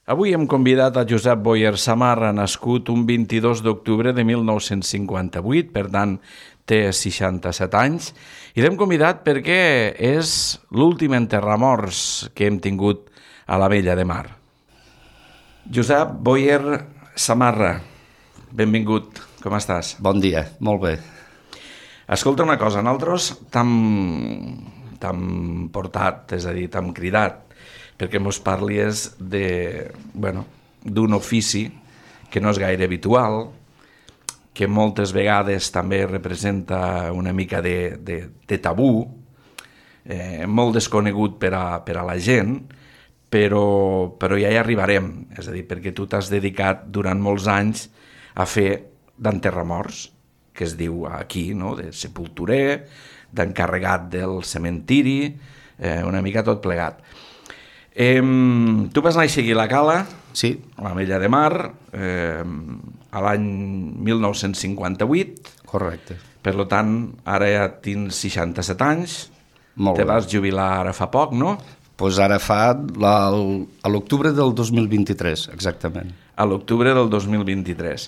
Avui hem convidat a Josep Boyer Samarra, nascut un 22 d'octubre de 1958, per tant té 67 anys, i l'hem convidat perquè és l'últim enterramorts que hem tingut a la Vella de Mar. Josep Boyer Samarra, benvingut, com estàs? Bon dia, molt bé. Escolta una cosa, nosaltres t'hem portat, és a dir, t'hem cridat, perquè mos parlis d'un ofici que no és gaire habitual, que moltes vegades també representa una mica de tabú, molt desconegut per a la gent, però ja hi arribarem, és a dir, perquè tu t'has dedicat durant molts anys a fer d'enterramorts, que es diu aquí, no? De sepulturer, d'encarregat del cementiri, una mica tot plegat. Tu vas néixer aquí a la Cala, sí, a la Vella de Mar, a l'any 1958. Correcte. Per tant, ara ja tens 67 anys, Molt te bé. vas jubilar ara fa poc, no? Doncs ara fa a l'octubre del 2023, exactament. A l'octubre del 2023.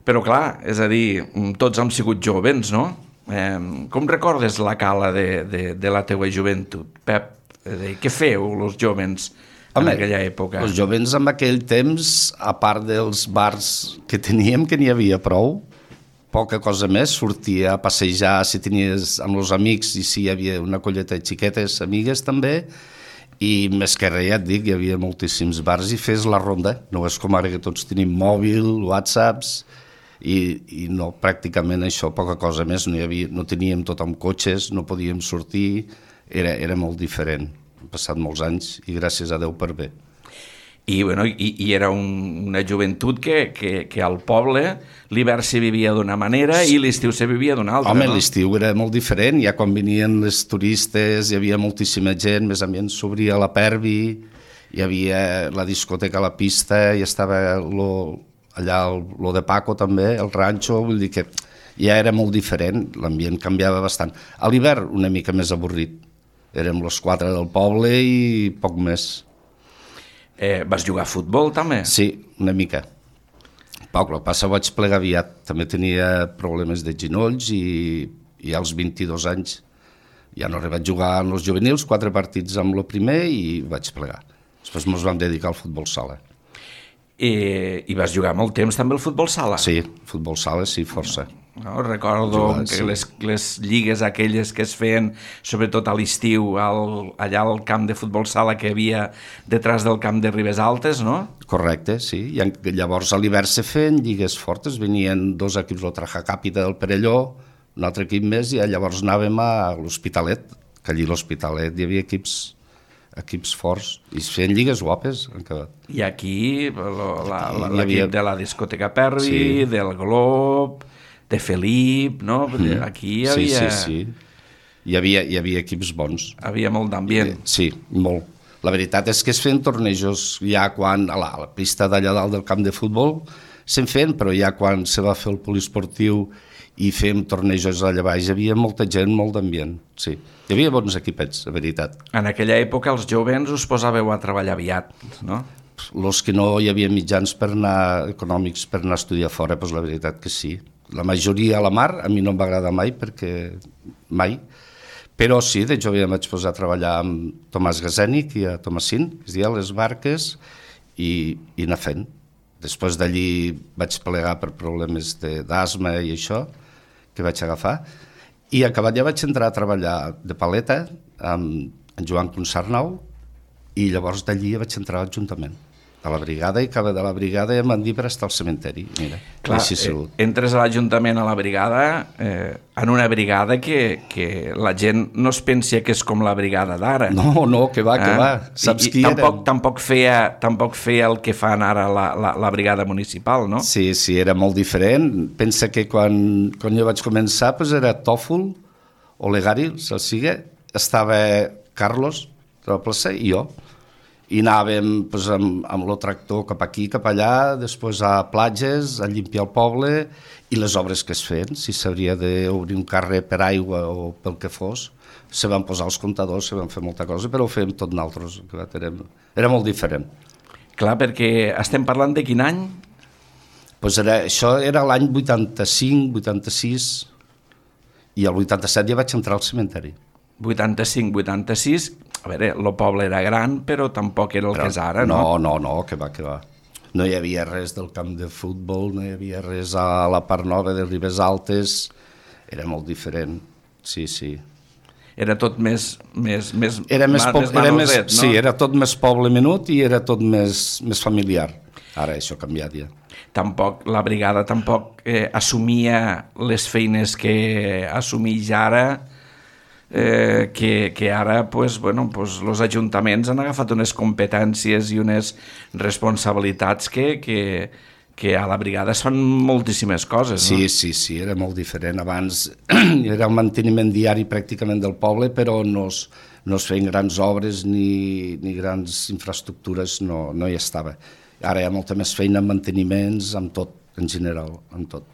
Però clar, és a dir, tots hem sigut jovens, no? Com recordes la Cala de la teua joventut, Pep? Què feu, els jovens, en aquella època? Els jovens en aquell temps, a part dels bars que teníem, que n'hi havia prou, poca cosa més, sortia a passejar si tenies amb els amics i si hi havia una colleta de xiquetes, amigues també, i més que res, ja et dic, hi havia moltíssims bars i fes la ronda. No és com ara que tots tenim mòbil, whatsapps, i no, pràcticament això, poca cosa més, no teníem tot amb cotxes, no podíem sortir, era molt diferent. Han passat molts anys i gràcies a Déu per bé. I era una joventut que al poble l'hivern se vivia d'una manera i l'estiu se vivia d'una altra. Home, no? L'estiu era molt diferent, ja quan venien els turistes hi havia moltíssima gent, més ambient s'obria la Pervi, hi havia la discoteca a la pista, i estava allà lo de Paco també, el ranxo, vull dir que ja era molt diferent, l'ambient canviava bastant. A l'hivern una mica més avorrit, érem els 4 del poble i poc més. Vas jugar a futbol també? Sí, una mica. Poc, el que passa vaig plegar aviat, també tenia problemes de genolls i als 22 anys ja no vaig jugar en els juvenils, 4 partits amb el primer i vaig plegar. Després ens vam dedicar al futbol sala. I vas jugar molt temps també al futbol sala? Sí, futbol sala sí, força. No, recordo que les lligues aquelles que es feien, sobretot a l'estiu, allà al camp de futbol sala que hi havia detrás del camp de Ribes Altes, no? Correcte, sí. I llavors a l'hivern se feien lligues fortes, venien 2 equips, el Traja Càpita del Perelló, un altre equip més, i llavors anàvem a l'Hospitalet, que allí a l'Hospitalet hi havia equips forts, i es feien lligues guapes. I aquí l'equip de la discoteca Pervi, sí, del Glob, de Felip, no? Aquí hi havia... Sí. Hi havia equips bons. Havia molt d'ambient. Sí, molt. La veritat és que es feien tornejos ja quan a la pista d'allà dalt del camp de futbol se'n feien, però ja quan se va fer el poliesportiu i fèiem tornejos allà baix, hi havia molta gent, molt d'ambient, sí. Hi havia bons equipets, la veritat. En aquella època els jovens us posàveu a treballar aviat, no? Els que no hi havia mitjans econòmics per anar a estudiar fora, doncs la veritat que sí. La majoria a la mar, a mi no em va agradar mai, però sí, de jove em vaig posar a treballar amb Tomàs Gasènic i a Tomasín, que es deia les barques, i anar fent. Després d'allí vaig plegar per problemes d'asma i això, que vaig agafar, i acabat ja vaig entrar a treballar de paleta amb en Joan Consarnau, i llavors d'allí vaig entrar a l'Ajuntament, a la brigada, i acaba de la brigada i em van dir per estar al cementeri. Mira, clar, entres a l'Ajuntament, a la brigada, en una brigada que la gent no es pensa que és com la brigada d'ara. No, que va. Saps qui era? Tampoc feia el que fan ara la brigada municipal, no? Sí, era molt diferent. Pensa que quan jo vaig començar era Tòfol, Olegari, Salsiga, estava Carlos de la plaça i jo. I anàvem amb el tractor cap aquí, cap allà, després a platges, a limpiar el poble, i les obres que es feien, si s'hauria d'obrir un carrer per aigua o pel que fos, se van posar els comptadors, se van fer molta cosa, però ho fèiem tot nosaltres, era molt diferent. Clar, perquè estem parlant de quin any? Pues això era l'any 85, 86, i el 87 ja vaig entrar al cementeri. 85, 86, a veure, el poble era gran, però tampoc era el que és ara, no? No, que va. No hi havia res del camp de futbol, no hi havia res a la part nova de Ribes Altes, era molt diferent, sí. Era tot més Era manoset, no? Sí, era tot més poble menut i era tot més familiar. Ara això ha canviat ja. Tampoc, la brigada tampoc assumia les feines que assumeix ara, que ara els ajuntaments han agafat unes competències i unes responsabilitats que a la brigada es fan moltíssimes coses, no? Sí, era molt diferent. Abans era el manteniment diari pràcticament del poble, però no es feien grans obres ni grans infraestructures, no hi estava. Ara hi ha molta més feina en manteniments, amb tot, en general, amb tot.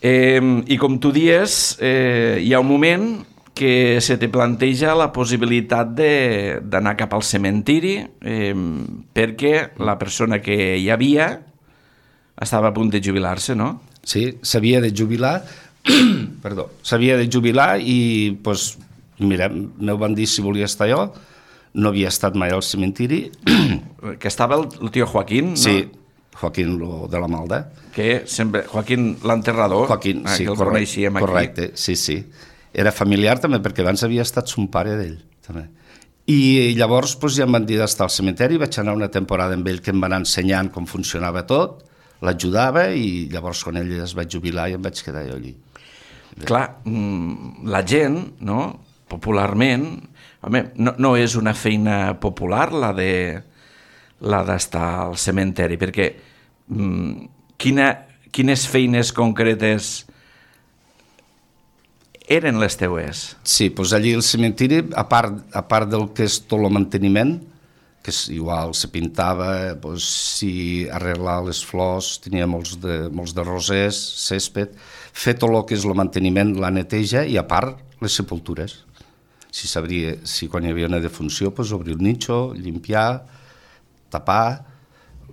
I com tu dies, hi ha un moment que se te planteja la possibilitat d'anar cap al cementiri perquè la persona que hi havia estava a punt de jubilar-se, no? Sí, s'havia de jubilar, i pues, mira, m'ho van dir si volia estar jo, no havia estat mai al cementiri. Que estava el tio Joaquín, no? Sí, Joaquín de la Malda. Que sempre, Joaquín l'enterrador, Joaquín, sí, que el coneixíem aquí. Correcte, sí. Era familiar també, perquè abans havia estat son pare d'ell, també. I llavors pues, ja em van dir d'estar al cementeri, vaig anar una temporada amb ell que em van ensenyant com funcionava tot, l'ajudava i llavors quan ell es va jubilar i em vaig quedar jo allí. Clar, la gent, no?, popularment, home, no és una feina popular la d'estar al cementeri, perquè quines feines concretes eren les teues? Sí, doncs allí al cementiri, a part del que és tot el manteniment, que igual se pintava, doncs, si arreglar les flors, tenia molts de rosers, césped, fer tot el que és el manteniment, la neteja, i a part les sepultures. Si quan hi havia una defunció, doncs, obrir el nicho, limpiar, tapar,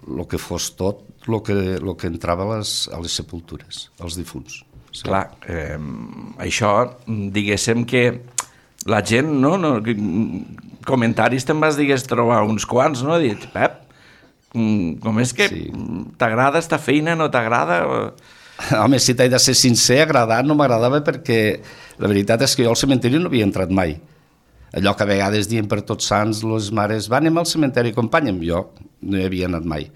el que fos tot, el que entrava a les sepultures, als difunts. Sí. Clar, això, diguéssim que la gent, no? Comentaris te'n vas, trobar uns quants, no? Dic, Pep, com és que t'agrada esta feina, no t'agrada? Home, si t'he de ser sincer, agradar no m'agradava perquè la veritat és que jo al cementeri no havia entrat mai. Allò que a vegades diem per Tots Sants, les mares, anem al cementeri, acompanya'm, jo no hi havia anat mai.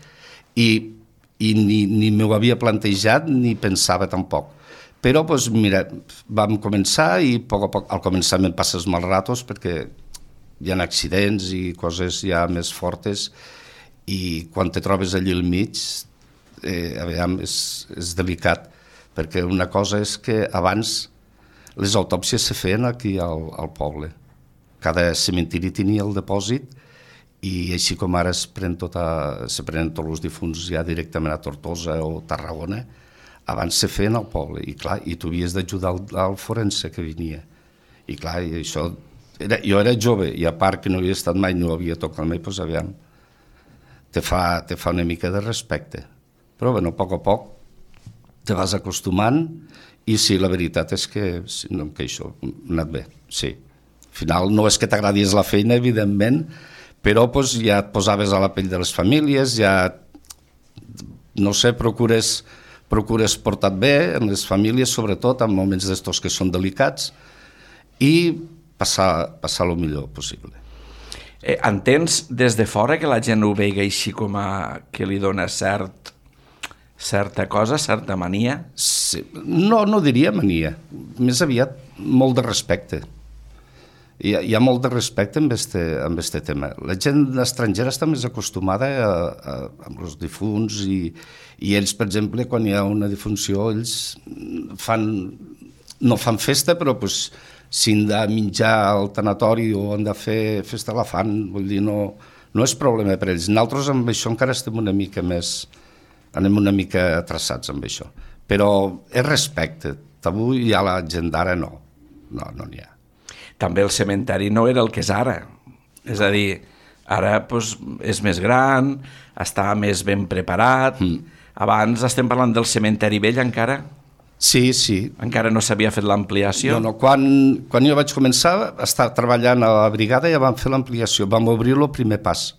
I ni m'ho havia plantejat ni pensava tampoc. Però, doncs, mira, vam començar i a poc al començament passes mal ratos perquè hi ha accidents i coses ja més fortes i quan te trobes allí al mig, és delicat, perquè una cosa és que abans les autòpsies se feien aquí al poble. Cada cementiri tenia el depòsit i així com ara se prenen tots els difunts ja directament a Tortosa o Tarragona, abans se feien al poble, i clar, i tu havies d'ajudar al forense que venia. I clar, i això, jo era jove, i a part que no havia estat mai, no havia tocat mai, doncs aviam, te fa una mica de respecte. Però, bueno, a poc te vas acostumant, i sí, la veritat és que no em queixo, ha anat bé, sí. Al final no és que t'agradis la feina, evidentment, però doncs, ja et posaves a la pell de les famílies, ja, no sé, procures portar bé en les famílies, sobretot en moments d'estos que són delicats, i passar el millor possible. Entens des de fora que la gent ho vegi així com que li dona certa cosa, certa mania? Sí. No diria mania, més aviat molt de respecte. Hi ha molt de respecte amb este tema. La gent estrangera està més acostumada amb els difunts i ells, per exemple, quan hi ha una defunció, ells no fan festa, però si han de menjar al tanatori o han de fer festa la fan, vull dir, no és problema per ells. Nosaltres amb això encara estem anem una mica atrasats amb això. Però és respecte. Avui ja la gent d'ara no n'hi ha. També el cementeri no era el que és ara. És a dir, Ara doncs, és més gran, està més ben preparat. Abans estem parlant del cementeri vell encara? Sí, sí. Encara no s'havia fet l'ampliació? No, quan jo vaig començar a estar treballant a la brigada ja vam fer l'ampliació, vam obrir el primer pas.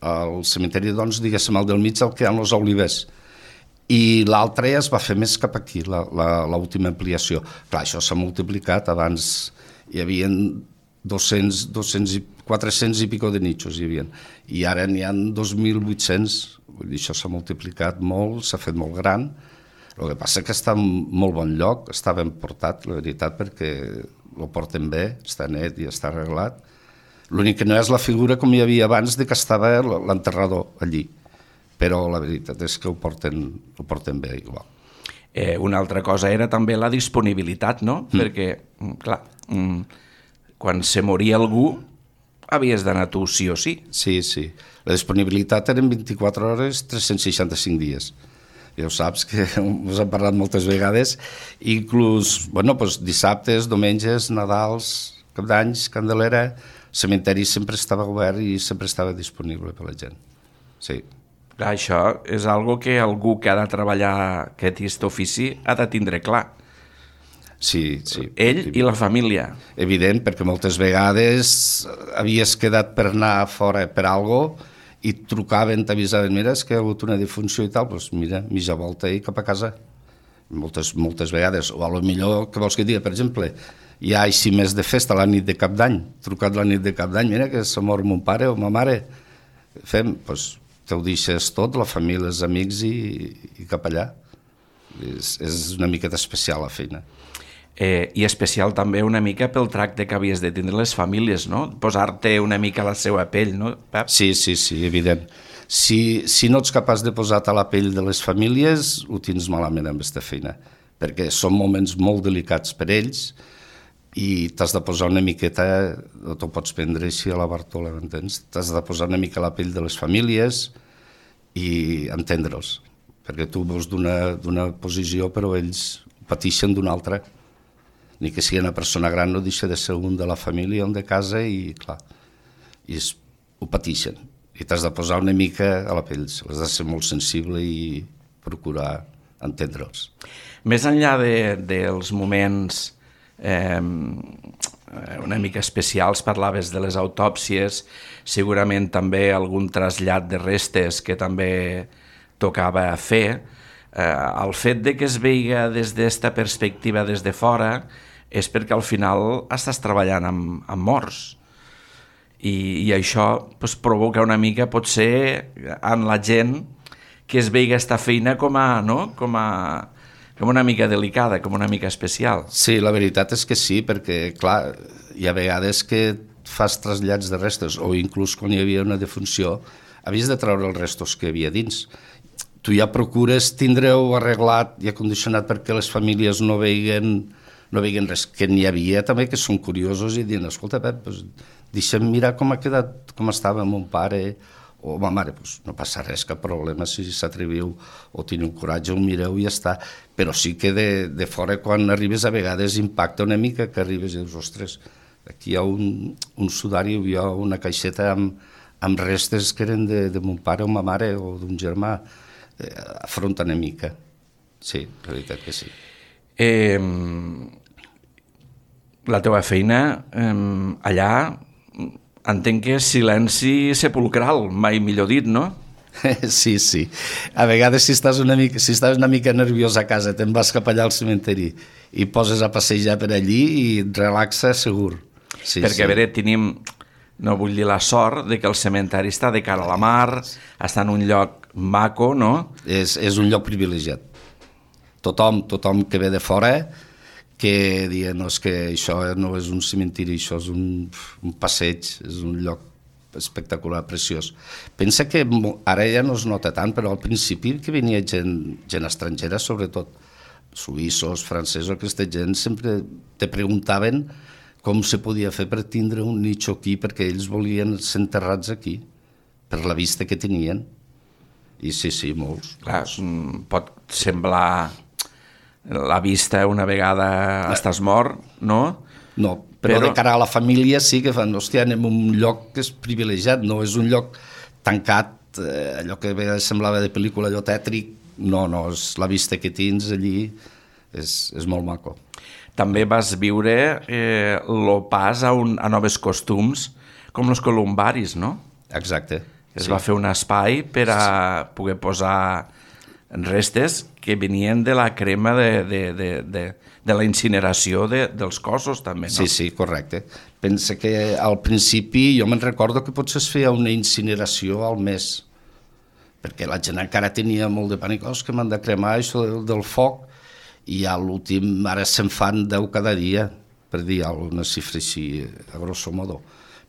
El cementeri, doncs, diguéssim, el del mig, el que hi ha els olivers. I l'altre ja es va fer més cap aquí, l'última ampliació. Clar, això s'ha multiplicat, abans hi havia 200 i 400 i pico de nichos, i ara n'hi ha 2.800, vull dir, això s'ha multiplicat molt, s'ha fet molt gran. El que passa que està en molt bon lloc, està ben portat, la veritat, perquè ho porten bé, està net i està arreglat. L'únic que no és la figura com hi havia abans de que estava l'enterrador allí, però la veritat és que ho porten bé igual. Una altra cosa era també la disponibilitat, no? Perquè, clar, quan se moria algú havies d'anar tu sí o sí. Sí, sí. La disponibilitat eren 24 hores, 365 dies. Ja ho saps, que us hem parlat moltes vegades, inclús, dissabtes, diumenges, Nadals, Cap d'Anys, Candelera, el cementeri sempre estava obert i sempre estava disponible per la gent. Sí. Clar, això és algo que algú que ha de treballar aquest ofici ha de tindre clar. Sí, sí. Ell i la família. Evident, perquè moltes vegades havies quedat per anar fora per alguna cosa i trucaven, t'avisaven, mira, és que hi ha hagut una defunció i tal, doncs mira, mitja volta i cap a casa. Moltes vegades. O a lo millor, què vols que digui, per exemple, hi ha així més de festa la nit de Cap d'Any, trucat la nit de Cap d'Any, mira que s'ha mort mon pare o ma mare. Fem, doncs, te ho deixes tot, la família, els amics i cap allà. És una miqueta especial la feina. I especial també una mica pel tracte que havies de tindre les famílies, no? Posar-te una mica a la seva pell, no, Pep? Sí, evident. Si no ets capaç de posar-te a la pell de les famílies, ho tens malament amb aquesta feina, perquè són moments molt delicats per ells i t'has de posar una miqueta, no t'ho pots prendre així a la Bartola, m'entens? T'has de posar una mica a la pell de les famílies i entendre'ls, perquè tu veus d'una posició però ells pateixen d'una altra. Ni que sigui una persona gran no deixa de ser un de la família, un de casa i clar, ho pateixen. I t'has de posar una mica a la pell, has de ser molt sensible i procurar entendre'ls. Més enllà dels moments una mica especials, parlaves de les autòpsies, segurament també algun trasllat de restes que també tocava fer. El fet de que es veiga des d'esta perspectiva des de fora és perquè al final estàs treballant amb morts i això provoca una mica potser en la gent que es veiga esta feina com una mica delicada, com una mica especial. Sí, la veritat és que sí, perquè clar, hi ha vegades que fas trasllats de restes o inclús quan hi havia una defunció havies de treure els restos que hi havia dins. Tu ja procures tindre-ho arreglat i acondicionat perquè les famílies no veiguen res que n'hi havia també, que són curiosos i diuen, escolta Pep, deixa'm mirar com ha quedat, com estava mon pare o ma mare, no passa res, cap problema, si s'atreviu o teniu coratge, ho mireu i ja està, però sí que de fora quan arribes a vegades impacta una mica que arribes i dius, ostres, aquí hi ha un sudari, hi ha una caixeta amb restes que eren de mon pare o ma mare o d'un germà, afronta una mica. Sí, la veritat que sí. La teva feina allà entenc que és silenci sepulcral, mai millor dit, no? Sí. A vegades si estàs una mica nerviós a casa, te'n vas cap allà al cementeri i poses a passejar per allí i et relaxa segur. Sí, perquè a veure, tenim, no vull dir la sort, de que el cementeri està de cara a la mar, està en un lloc maco, no? És un lloc privilegiat. Tothom que ve de fora que diuen, no, és que això no és un cementiri, això és un passeig, és un lloc espectacular, preciós. Pensa que ara ja no es nota tant, però al principi que venia gent estrangera, sobretot suïssos, francesos, aquesta gent sempre te preguntaven com se podia fer per tindre un nicho aquí, perquè ells volien ser enterrats aquí, per la vista que tenien. I sí, molts. Clar, pot semblar la vista una vegada estàs mort, no? No, Però de cara a la família sí que fan, hòstia, anem a un lloc que és privilegiat, no és un lloc tancat, allò que a vegades semblava de pel·lícula, allò tètric, no, és la vista que tens allí, és molt maco. També vas viure el pas a noves costums, com els columbaris, no? Exacte. Es va fer un espai per a poder posar restes que venien de la crema de la incineració dels cossos, també, no? Sí, correcte. Pensa que al principi jo me'n recordo que potser es feia una incineració al mes, perquè la gent encara tenia molt de pànic, que m'han de cremar això del foc, i a l'últim ara se'n fan 10 cada dia, per dir una xifra així, a grosso modo.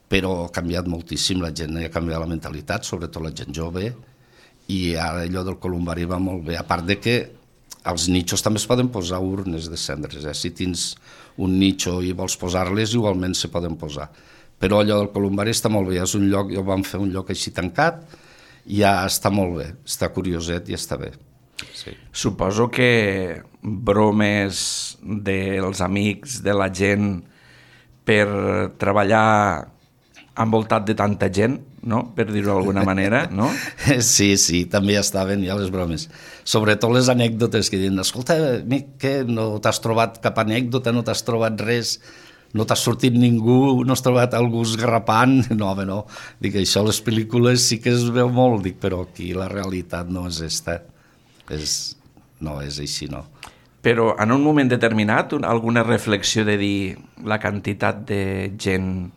Però ha canviat moltíssim, la gent ha canviat la mentalitat, sobretot la gent jove, i ara allò del columbari va molt bé, a part de que als nichos també es poden posar urnes de cendres, si tens un nicho i vols posar-les, igualment se poden posar. Però allò del columbari està molt bé, és un lloc, jo vam fer un lloc així tancat, i ja està molt bé, està curioset i està bé. Sí. Suposo que bromes dels amics, de la gent, per treballar envoltat de tanta gent, no? Per dir-ho d'alguna manera, no? Sí, també estaven ja les bromes. Sobretot les anècdotes que diuen, escolta, què, no t'has trobat cap anècdota, no t'has trobat res, no t'ha sortit ningú, no has trobat algú esgarrapant? No, dic, això a les pel·lícules sí que es veu molt, dic, però aquí la realitat no és esta. No és així, no. Però en un moment determinat, alguna reflexió de dir la quantitat de gent,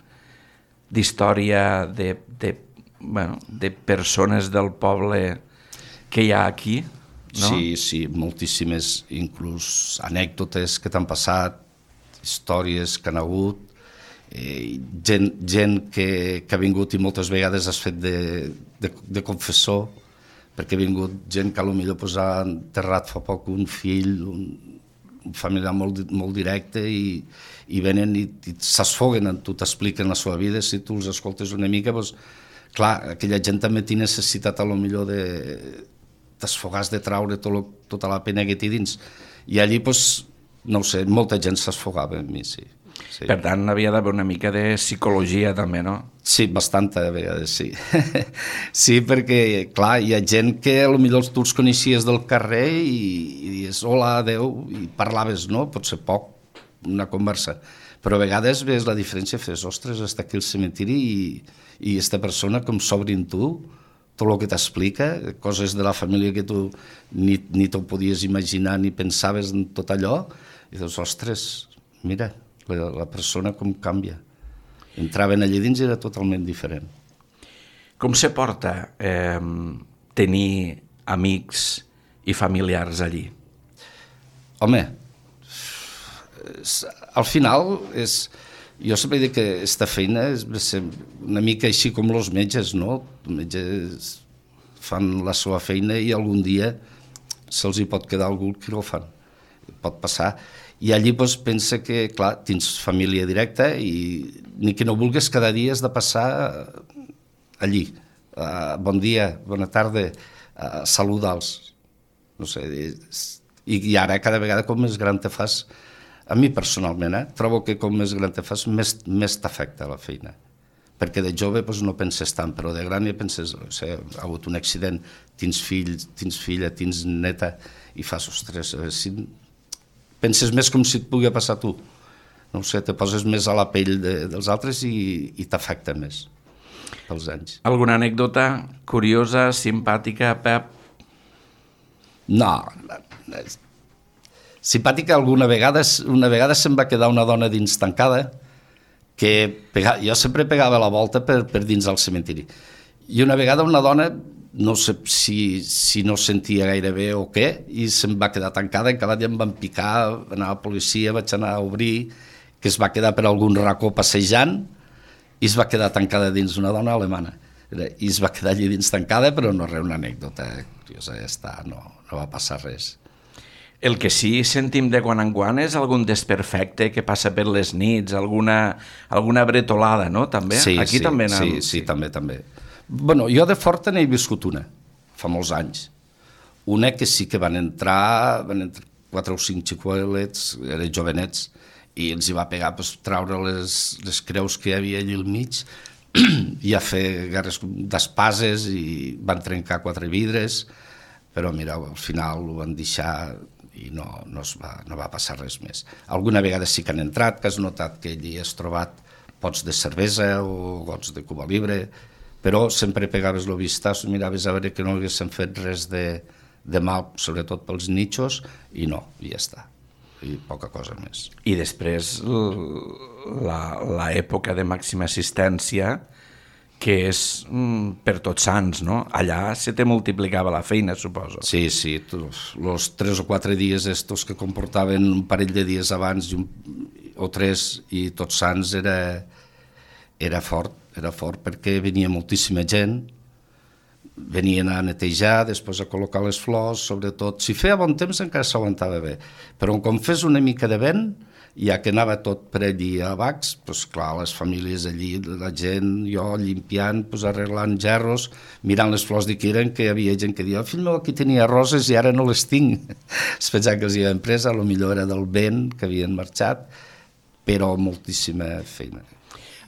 d'història, de persones del poble que hi ha aquí, no? Sí, moltíssimes, inclús anècdotes que t'han passat, històries que han hagut, gent que ha vingut i moltes vegades has fet de confessor, perquè ha vingut gent que potser ha enterrat fa poc un fill, un familiar molt directe, i venen i s'esfoguen en tu, t'expliquen la seva vida, si tu els escoltes una mica, doncs, clar, aquella gent també té necessitat a lo millor d'esfogar, de traure tota la pena que té dins. I allí, doncs, no ho sé, molta gent s'esfogava amb mi, sí. Per tant, havia d'haver una mica de psicologia també, no? Sí, bastanta, a vegades, sí. Sí, perquè, clar, hi ha gent que potser tu els coneixies del carrer i dius, hola, adeu, i parlaves, no? Potser poc, una conversa. Però a vegades ves la diferència, fes, ostres, està aquí el cementiri i aquesta persona com s'obre en tu, tot el que t'explica, coses de la família que tu ni t'ho podies imaginar ni pensaves en tot allò, i dius, ostres, mira, la persona com canvia. Entraven allà dins i era totalment diferent. Com se porta tenir amics i familiars allí? Home, al final jo sempre dic que aquesta feina és una mica així com els metges, no? Els metges fan la seva feina i algun dia se'ls hi pot quedar algú que no ho fan. Pot passar. I allí doncs, pensa que, clar, tens família directa i ni que no vulguis cada dia has de passar allí. Bon dia, bona tarda, saluda'ls. No sé, i ara cada vegada com més gran te fas, a mi personalment, trobo que com més gran te fas, més t'afecta la feina. Perquè de jove doncs, no penses tant, però de gran ja penses, no sé, ha hagut un accident, tens fill, tens filla, tens neta, i fas, ostres, penses més com si et pugui passar a tu. No sé, te poses més a la pell dels altres i t'afecta més pels anys. Alguna anècdota curiosa, simpàtica, Pep? No. Simpàtica una vegada se'm va quedar una dona dins tancada que jo sempre pegava la volta per dins del cementiri. I una vegada una dona, no sé si no sentia gaire bé o què, i se'm va quedar tancada, cada dia em van picar, va anar a la policia, vaig anar a obrir, que es va quedar per algun racó passejant, i es va quedar tancada dins, una dona alemana. I es va quedar allí dins tancada, però no res, una anècdota curiosa, ja està, no va passar res. El que sí sentim de quan en quan és algun desperfecte que passa per les nits, alguna bretolada, no? També? Sí, aquí també sí, també. Bueno, jo de Forta n'he viscut una, fa molts anys. Una que sí que van entrar 4 o 5 xicuelets, eren jovenets, i els hi va pegar treure les creus que hi havia allà al mig i a fer guerres d'espases i van trencar 4 vidres, però mira, al final ho van deixar i no va passar res més. Alguna vegada sí que han entrat, que has notat que allí has trobat pots de cervesa o gots de Cuba Libre, però sempre pegaves el vistàs, miraves a veure que no haguessin fet res de mal, sobretot pels nichos, i no, i ja està. I poca cosa més. I després l'època de màxima assistència, que és per Tots Sants, no? Allà se te multiplicava la feina, suposo. Sí, els 3 o 4 dies estos que comportaven un parell de dies abans o 3 i Tots Sants era fort perquè venia moltíssima gent, venien a netejar, després a col·locar les flors, sobretot. Si feia bon temps encara s'aguantava bé, però com fes una mica de vent, ja que anava tot per allí a Bacs, doncs clar, les famílies allí, la gent, jo limpiant, arreglant gerros, mirant les flors que eren, que hi havia gent que deia, fill meu, aquí tenia roses i ara no les tinc. Es pensava que els hi havien pres, potser era del vent, que havien marxat, però moltíssima feina.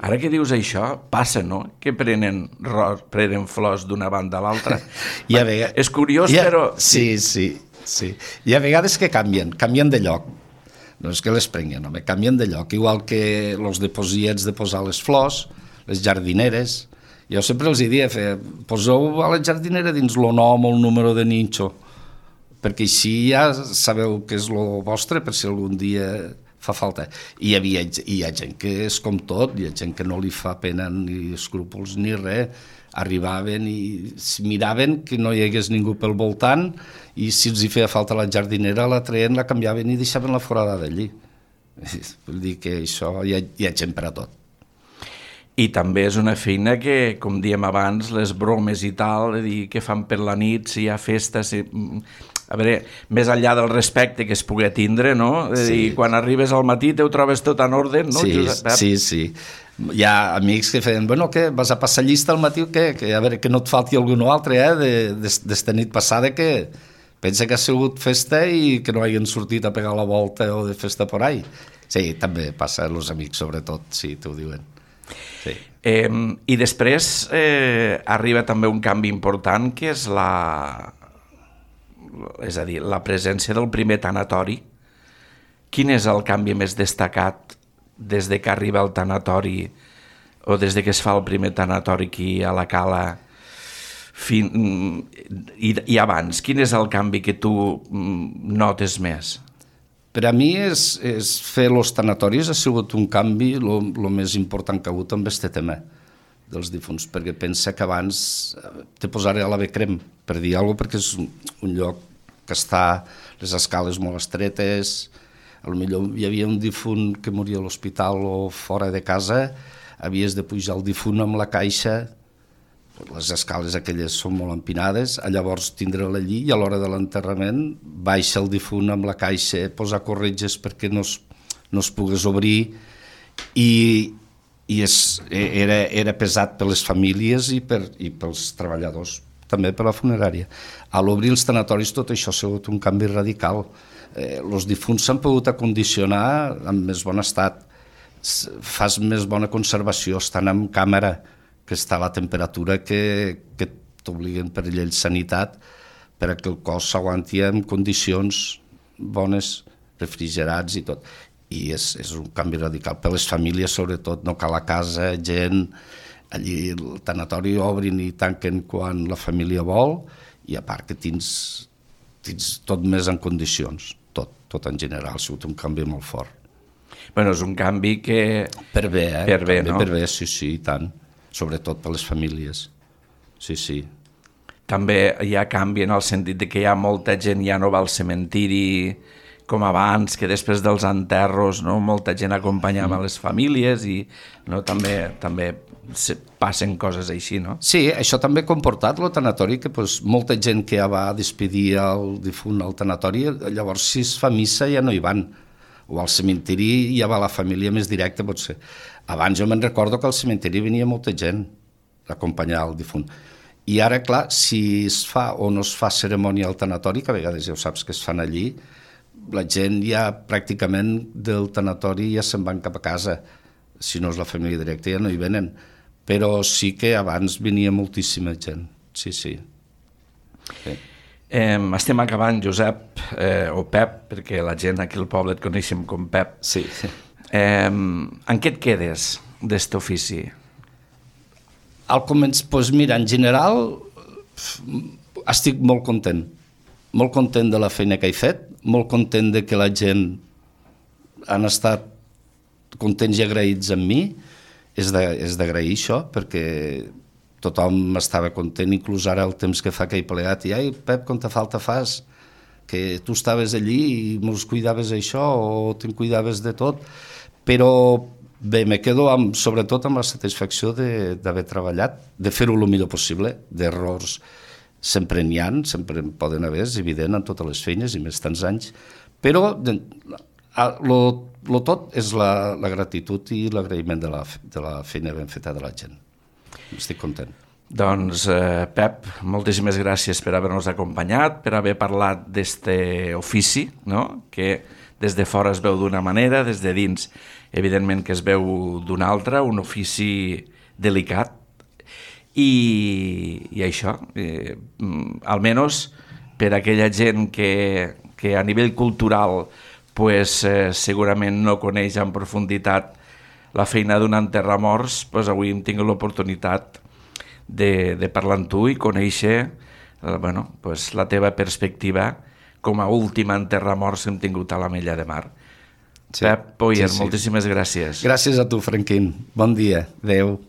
Ara que dius això, passa, no?, que prenen flors d'una banda a l'altra. És curiós, però... Sí. Hi ha vegades que canvien de lloc. No és que les prenguin, home, canvien de lloc. Igual que els diposiets de posar les flors, les jardineres. Jo sempre els diria, poseu a la jardinera dins el nom o el número de ninxo, perquè així ja sabeu que és el vostre per si algun dia fa falta. I hi ha gent que és com tot, hi ha gent que no li fa pena ni escrúpols ni res, arribaven i miraven que no hi hagués ningú pel voltant i si els hi feia falta la jardinera la treien, la canviaven i deixaven la forada d'allí. Vull dir que això hi ha gent per a tot. I també és una feina que, com diem abans, les bromes i tal, que fan per la nit, si hi ha festa... A veure, més enllà del respecte que es pugui tindre, no? I quan arribes al matí te ho trobes tot en ordre, no? Sí. Hi ha amics que feien, bueno, què, vas a passar llista al matí o què? Que, a veure, que no et falti algun altre, d'esta nit passada que pensa que ha sigut festa i que no hagin sortit a pegar la volta o de festa por ahí. Sí, també passa, els amics sobretot, sí, t'ho diuen. Sí. I després arriba també un canvi important, que és la presència del primer tanatori. Quin és el canvi més destacat des de que arriba el tanatori o des de que es fa el primer tanatori aquí a la Cala i abans? Quin és el canvi que tu notes més? Per a mi és fer els tanatoris ha sigut un canvi el més important que ha hagut amb aquest tema dels difunts, perquè pensa que abans te posaré a la Becrem, per dir alguna cosa, perquè és un lloc que està les escales molt estretes, potser hi havia un difunt que moria a l'hospital o fora de casa, havies de pujar el difunt amb la caixa, les escales aquelles són molt empinades, llavors tindre-la allí i a l'hora de l'enterrament baixa el difunt amb la caixa, posar corretges perquè no es pogués obrir i era pesat per les famílies i pels treballadors, també per la funerària. A l'obrir els tanatoris tot això ha sigut un canvi radical. Els difunts s'han pogut acondicionar en més bon estat, fas més bona conservació, estan en càmera, que està a la temperatura que t'obliguen per llei de sanitat perquè el cos s'aguanti en condicions bones, refrigerats i tot. I és un canvi radical per les famílies, sobretot, no cal a casa, gent, allí el tanatori obrin i tanquen quan la família vol i a part que tens tot més en condicions, tot en general, ha sigut un canvi molt fort. Bueno, és un canvi que... Per bé, no? Per bé, sí, i tant, sobretot per les famílies, sí. També hi ha canvi en el sentit de que hi ha molta gent ja no va al cementiri com abans, que després dels enterros molta gent acompanyava les famílies i també passen coses així, no? Sí, això també ha comportat el tanatori, que molta gent que ja va despedir el difunt al tanatori, llavors si es fa missa ja no hi van, o al cementiri ja va la família més directa, potser. Abans jo me'n recordo que al cementiri venia molta gent a acompanyar el difunt. I ara, clar, si es fa o no es fa cerimònia al tanatori, que a vegades ja ho saps que es fan allí, la gent ja pràcticament del tanatori ja se'n van cap a casa. Si no és la família directa ja no hi venen. Però sí que abans venia moltíssima gent. Sí. Estem acabant, Josep, o Pep, perquè la gent aquí al poble et coneixem com Pep. Sí. En què et quedes d'este ofici? Al començ, doncs mira, en general estic molt content de la feina que he fet, molt content de que la gent han estat contents i agraïts amb mi. És d'agrair això, perquè tothom estava content, inclús ara el temps que fa que he plegat, i ai, Pep, quanta falta fas, que tu estaves allí i mos cuidaves això o te'n cuidaves de tot, però bé, me quedo sobretot amb la satisfacció d'haver treballat, de fer-ho el millor possible, d'errors sempre n'hi ha, sempre en poden haver, és evident en totes les feines i més tants anys, però lo tot és la gratitud i l'agraïment de la feina ben feta de la gent. Estic content. Doncs, Pep, moltíssimes gràcies per haver-nos acompanyat, per haver parlat d'este ofici, no? Que des de fora es veu d'una manera, des de dins, evidentment que es veu d'una altra, un ofici delicat. I això, almenys per aquella gent que a nivell cultural pues, segurament no coneix en profunditat la feina d'un enterramorts, pues avui hem tingut l'oportunitat de parlar amb tu i conèixer pues, la teva perspectiva com a últim enterramorts que hem tingut a l'Ametlla de Mar. Sí, Pep Poyer, moltíssimes gràcies. Gràcies a tu, Franquín. Bon dia. Adéu.